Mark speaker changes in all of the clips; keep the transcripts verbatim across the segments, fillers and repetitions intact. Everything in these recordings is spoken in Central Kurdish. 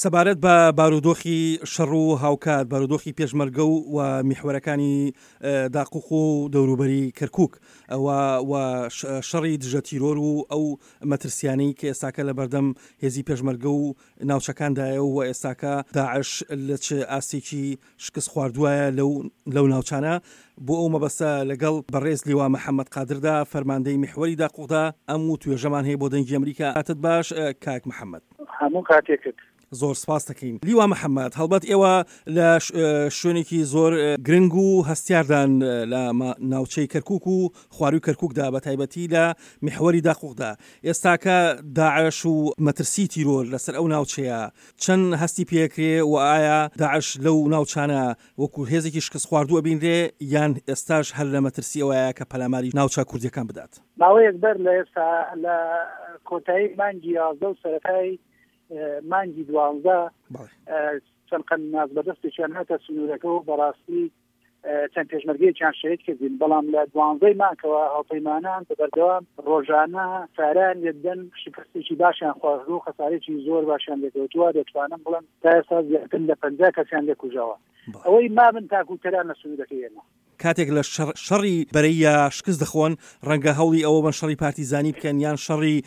Speaker 1: سەبارەت بە بارودۆخی شەڕ و هاوکات بارودۆخی پێشمەرگە و و میحوەرەکانی داقوق و دەوروبەری کەرکوک و شەڕی دژە تیرۆر و ئەو مەترسیانەی کە ئێستاکە لە بەردەم هێزی پێشمەرگە و ناوچەکاندایە و ئێستاکە داعش لە چ ئاستێکی شکست خواردوایە لەو لەو ناوچانە، بۆ ئەو مەبەستە لەگەڵ بەڕێز لیوا محەممەد قادردا فەرماندەی میحوەری داقوقدا ئەم و توێژەمان هەیە بۆ دەنگی ئەمریکا. کاتت باش کاک محەممەد.
Speaker 2: هەموو کاتێکت
Speaker 1: زۆر سپاس دەکەین. لیوا محەممەد، هەڵبەت ئێوە لە شوێنێکی زۆر گرنگ و هەستیاردان لە ناوچەی کەرکوک و خواروی کەرکوکدا، بە تایبەتی لە میحوەری داقوقدا. ئێستاکە داعش و مەترسی تیرۆر لەسەر ئەو ناوچەیە چەند هەستی پێکرێ و ئایا داعش لەو ناوچانە وەکو هێزێکی شکست خواردووە بینرێ یان ئێستاش هەر لە مەترسی ئەوەیە کە پەلاماری ناوچە کوردیەکان بدات؟
Speaker 2: ماوەیەک بەر لە ئێستا لە کۆتایی مانگی یازدە و سەرەتای مانگی دوانزە چەند قەناس بەدەستێکیان هاتە سنوورەکە و بەڕاستی چەند پێشمەرگەیەکیان شەهید کردین، بەڵام لە دوانزەی مانگەوە هاوپەیمانان بە بەردەوام ڕۆژانە ساران لێدەن شکستێکی باشیان خواردووە و خەسارێکی زۆر باشیان لێکەوتووە. دەتوانم بڵێم تا ئێستا زیاتر لە پەنجا کەسیان لێکوژاوە. ئەوەی مابن تاکوتەران لە سنوورەکەی ئێمە.
Speaker 1: کاتێک لە شەڕی بەرەیە شکست دەخۆن، ڕەنگە هەوڵی ئەوە بن شەڕی پارتیزانی بکەن یان شەڕی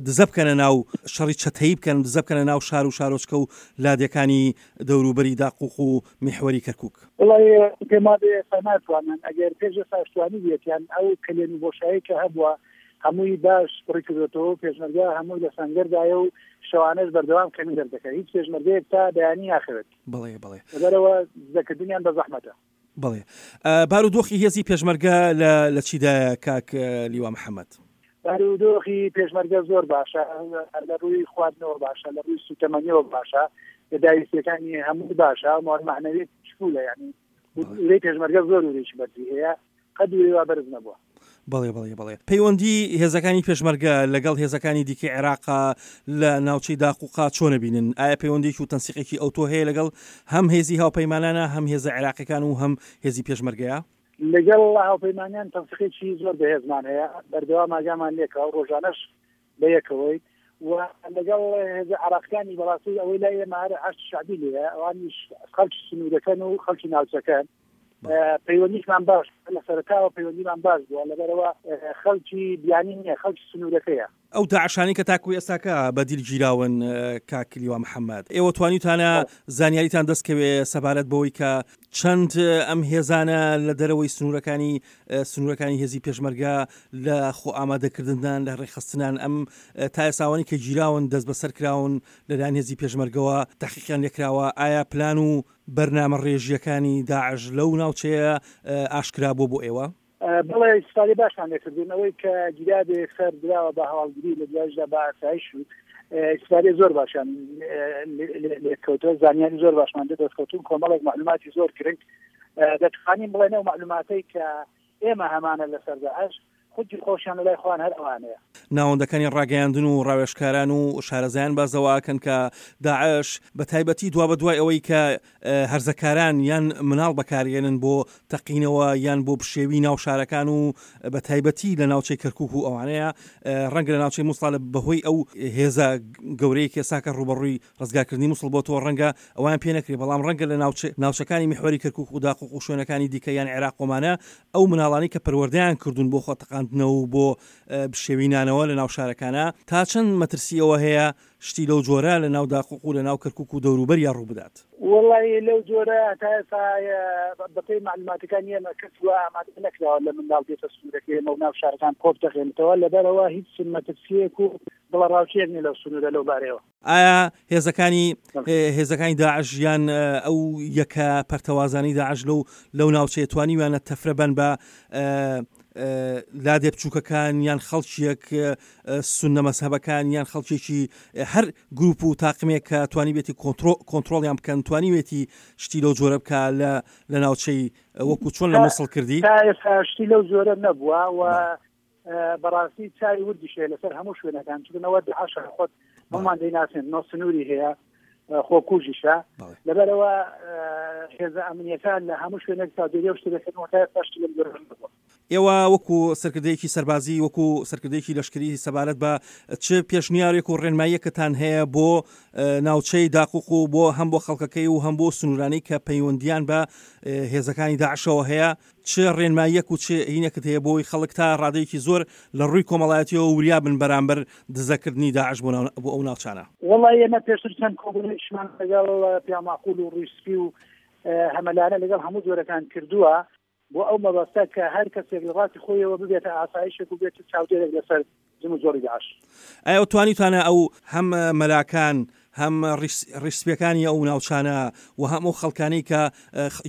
Speaker 1: دزە بکەنە ناو شەڕی چەتەیی بکەن، دزە بکەنە ناو شار و شارۆچکە و لادێکانی دەوروبەری داقوق و میحوەری کەرکوک.
Speaker 2: وەڵای پێم وابێ ئێستا ناتوانن، ئەگەر پێش ئێستاش توانیبێتیان ئەو کەلێن و بۆشایی کە هەبووە هەمووی باش پڕی کردوێتەوە، پێشمەرگە هەمووی لە سەنگەردایە و شەوانەش بەردەوام کەمی دەردەکات، هیچ پێشمەرگەیەک تا بەیانی ناخەوێت.
Speaker 1: بەڵێ بەڵێ،
Speaker 2: لەبەرەوە دزەکردنیان بە زەحمەتە.
Speaker 1: بەڵێ، بارودۆخی هێزی پێشمەرگە لە چیدایە کاک لیوا محەممەد؟
Speaker 2: بارودۆخی پێشمەرگە زۆر باشە، لە ڕووی خواردنەوە باشە، لە ڕووی سوتەمەنیەوە باشە، داویستیەکانی هەموو باشە، معنەویەت چکولە، یعنی ورەی پێشمەرگە زۆر ورەیەکی بەرزی هەیە، قەد ورەی وا بەرز نەبووە.
Speaker 1: بەڵێ بەڵێ بەڵێ. پەیوەندی هێزەکانی پێشمەرگە لەگەڵ هێزەکانی دیکەی عێراقا لە ناوچەی داقوقا چۆنە بینن؟ ئایا پەیوەندێکی و تەنسیقێکی ئەوتۆ هەیە لەگەڵ هەم هێزی هاوپەیمانانە، هەم هێزە عێراقیەکان و هەم هێزی پێشمەرگەیە؟
Speaker 2: لەگەڵ هاوپەیمانیان تەنسیقێکی زۆر بەهێزمان هەیە، بەردەوام ئاگامان لێکەوە، ڕۆژانەش بەیەکەوەی و لەگەڵ هێزە عێراقیەکانی بەڕاستی ئەوەی لای ئێمە هەر حەشد شەعبی لێیە، ئەوانیش خەڵکی سنوورەکەن و خەڵکی ناوچەکەن. پەیوەندیشمان باش لە سەرەتاوە پەیوەندیمان باش بووە، لەبەرەوە خەڵکی بیانی نییە، خەڵکی سنوورەکەیە.
Speaker 1: ئەو داعشانی کە تاکو ئێستاکە بەدیل گیراون کاک لیوا محەممەد، ئێوە توانیتانە زانیاریتان دەستکەوێ سەبارەت بەوەی کە چەند ئەم هێزانە لە دەرەوەی سنوورەکانی سنوورەکانی هێزی پێشمەرگە لە خۆ ئامادەکردندان، لە ڕێکخستنان، ئەم تا ئێساوانی کە گیراون دەست بەسەر کراون لەلایەن هێزی پێشمەرگەوە تحقیقیان لێکراوە، ئایا پلان و بەرنامە ڕێژیەکانی داعش لەو ناوچەیە ئاشکرا بووە بۆ ئێوە؟
Speaker 2: بەڵێ، ئیستفادەی باشمان لێکردون. ئەوەی کە گیرابێ یەکسەر دراوە بە هەواڵگری، لە دوایشدا بە ئاسایش و ئیستفادەی زۆر باشیان لێکەوتووە، زانیاری زۆر باشمان دەستکەوتون، کۆمەڵێک معلوماتی زۆر گرنگ. دەتوانین بڵێن ئەو معلوماتەی کە ئێمە هەمانە لەسەر داعش خودی خۆشیان لەلای خۆیان هەر ئەوانەیە.
Speaker 1: ناوەندەکانی ڕاگەیاندن و ڕاوێژکاران و شارەزایان بازەواکەن کە داعش بە تایبەتی دوا بە دوای ئەوەی کە هەرزەکاران یان مناڵ بەکارێنن بۆ تەقینەوە یان بۆ پشێوی ناو شارەکان و بە تایبەتی لە ناوچەی کەرکوک و ئەوانەیە، ڕەنگە لە ناوچەی موسڵ بەهۆی ئەو هێزە گەورەیە کە ئێستاکە ڕووبەڕووی ڕزگارکردنی موسڵ بۆ تۆ ڕەنگە ئەوان پێ نەکرێ، بەڵام ڕەنگە لە ناوچەکانی میحوەری کەرکوک و داقوق و شوێنەکانی دیکە یان عێراق ومانە ئەو مناڵانی کە پەروەردەیان کردوون بۆ خۆتەقاندنەوە و بۆ بشێوینانەوە لە ناو شارەکانە، تا چەند مەترسیەوە هەیە شتی لەو جۆرە لە ناو داقوق و لە ناو کەرکوک و دەوروبەریا ڕوو بدات؟
Speaker 2: وەڵی لەو جۆرە تا ئێستا بەپێی معلوماتەکان ئێمە کەس وا ئامادە نەکراوە لە منداڵ بێتە سنوورەکەی ئێمە و ناو شارەکان کۆپ دەخێنێتەوە، لەبەرەوە هیچ مەترسیەک و دڵەڕاوکێک نییە لەو سنوورە لەو بارەیەوە.
Speaker 1: ئایا هێزەکانی هێزەکانی داعش یان ئەو یەکە پەرتەوازانی داعش لەو لەو ناوچەیە توانیویانە تەفرە بن بە لادێ بچووکەکان یان خەڵکیەک سوننە مەزهەبەکان یان خەڵکێکی هەر گروپ و تاقمێک کە توانیبێتی کۆنترۆڵیان بکەن، توانیوێتی شتی لەو جۆرە بکە لە لە ناوچەی وەکو چۆن لە موسڵ کردی؟
Speaker 2: تا ئێستا شتی لەو جۆرە نەبووە و بەڕاستی چاوی وردیش هەیە لەسەر هەموو شوێنەکان، چونەوە داعش خۆت هەمومان دەیناسێن، نۆ سنووری هەیە، خۆکوژیشە، لەبەرەوە هێزە ئەمنیەکان لە هەموو شوێنێک چاودێری ئەو شتە دەکەن و تا ئێستا شتی لەم جۆرە نەبووە.
Speaker 1: ئێوە وەکو سەرکردەیەکی سەربازی، وەکو سەرکردەیەکی لەشکری سەبارەت بە چ پێشنیارێک و ڕێنماییەکتان هەیە بۆ ناوچەی داقوق و بۆ هەم بۆ خەڵکەکەی و هەم بۆ سنوورانەی کە پەیوەندیان بە هێزەکانی داعشەوە هەیە، چ ڕێنماییەک و چ هینێکت هەیە بۆی خەڵک تا ڕادەیەکی زۆر لە ڕووی کۆمەڵایەتیەوە وریا بن بەرامبەر دزەکردنی داعش بۆ ئەو ناوچانە؟
Speaker 2: وەڵی ئێمە پێشتر چەند کۆبوونەوەیشمان لەگەڵ پیاماقول و ڕووی سپی و هەمەلانە لەگەڵ هەموو جۆرەکان کردووە بۆ ئەو مەبەستە کە هەر کەسێک لە ڕاستی خۆیەوە ببێتە ئاسایشێک و بێتە چاودێرێک لەسەر جموجۆڵی داعش.
Speaker 1: ئایا توانیتانە ئەو هەم مەلاکان هەم ڕیشسپیەکانی ئەو ناوچانە و هەم ئەو خەڵکانەی کە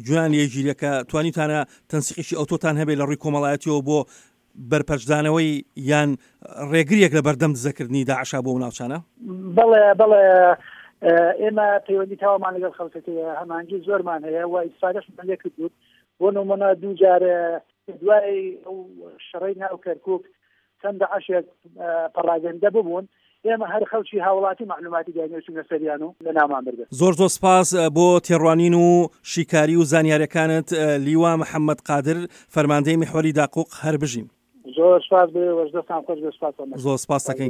Speaker 1: گوێیان لێگیرە کە توانیتانە تەنسیقێکی ئەوتۆتان هەبێت لە ڕووی کۆمەڵایەتیەوە بۆ بەرپەرچدانەوەی یان ڕێگریەک لە بەردەم دزەکردنی داعشا بۆ ئەو ناوچانە؟
Speaker 2: بەڵێ بەڵێ، ئێمە پەیوەندی تەواومان لەگەڵ خەڵکەکەیە، هەمانگی زۆرمان هەیە و ئیسفادەشمان لێ کردوون. بۆ نمونە دوو جار دوای ئەو شەڕەی ناو کەرکوک چەند داعشێک پەڕاگەندە ببوون، ئێمە هەر خەڵکی هاوڵاتی معلوماتی داینەوە چونە سەریان و لە ناومان بردن.
Speaker 1: زۆر زۆر سپاس بۆ تێڕوانین و شیکاری و زانیاریەکانت لیوا محەممەد قادر، فەرماندەی میحوەری داقوق. هەر بژین.
Speaker 2: زۆر سپاس بۆ ئێوەش، دەستان خۆش بێ، سپاس.
Speaker 1: زۆر سپاس دەکەین.